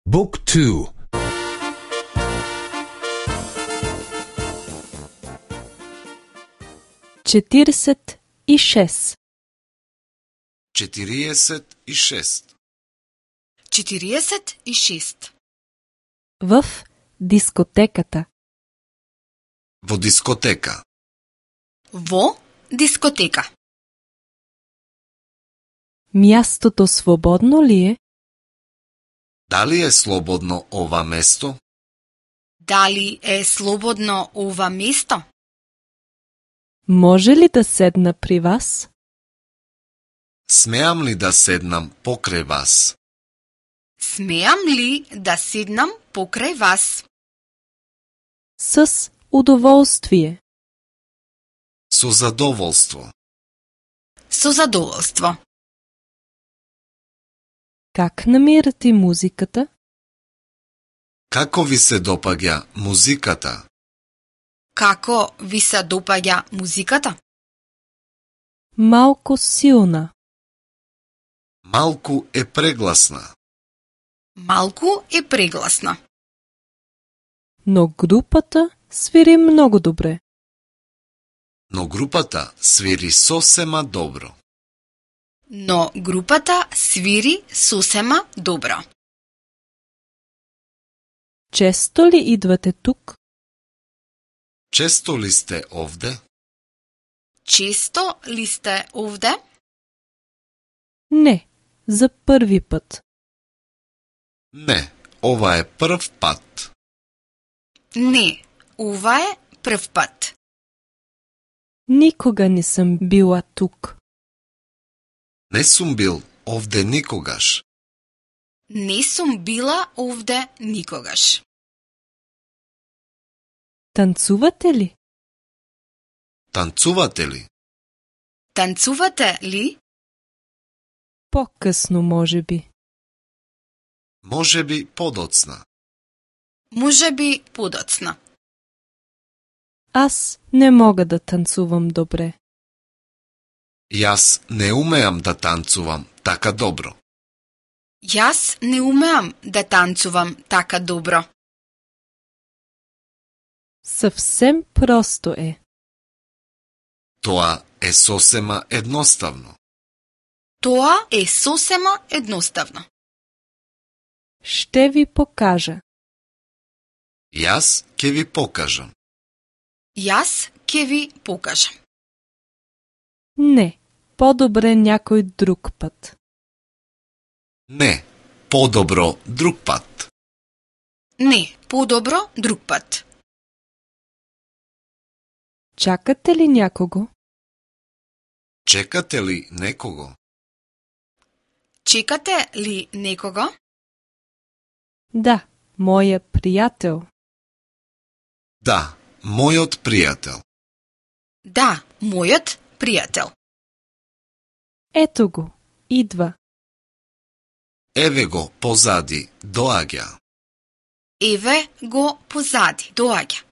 Book 2. 46. 46. 46. В дискотеката. Во дискотека. Во дискотека. Мястото свободно ли е? Дали е слободно ова место? Дали е слободно ова место? Може ли да седна при вас? Смеам ли да седнам покрај вас? Смеам ли да седнам покрај вас? С удоволствие. Со задоволство. Со задоволство. Как намирате музиката? Како ви се допаѓа музиката? Како ви се допаѓа музиката? Малко силна. Малку е прегласна. Малку е прегласна. Но групата свири много добре. Но групата свири сосема добро. Но групата свири сосема добро. Често ли идвате тук? Често ли сте овде? Често ли сте овде? Не, за първи път. Не, ова е прв пат. Не, ова е прв пат. Никога не съм била тук. Не сум бил овде никогаш. Не сум била овде никогаш. Танцувате ли? Танцувате ли? Танцувате ли? По-късно, може би. Може би подоцна. Може би подоцна. Аз не мога да танцувам добре. Јас не умеам да танцувам така добро. Јас не умеам да танцувам така добро. Съвсем просто е. Тоа е сосема едноставно. Тоа е сосема едноставно. Ще ви покажа. Јас ќе ви покажам. Јас ќе ви покажам. Не, по-добре някой друг път. Не, подобро друг пат. Не, подобро друг пат. Чакате ли някого? Чекате ли некого? Чекате ли некого? Да, моя приятел. Да, мојот пријател. Да, мојот пријател. Ето го, идва. Еве го позади, доаѓа. Еве го позади, доаѓа.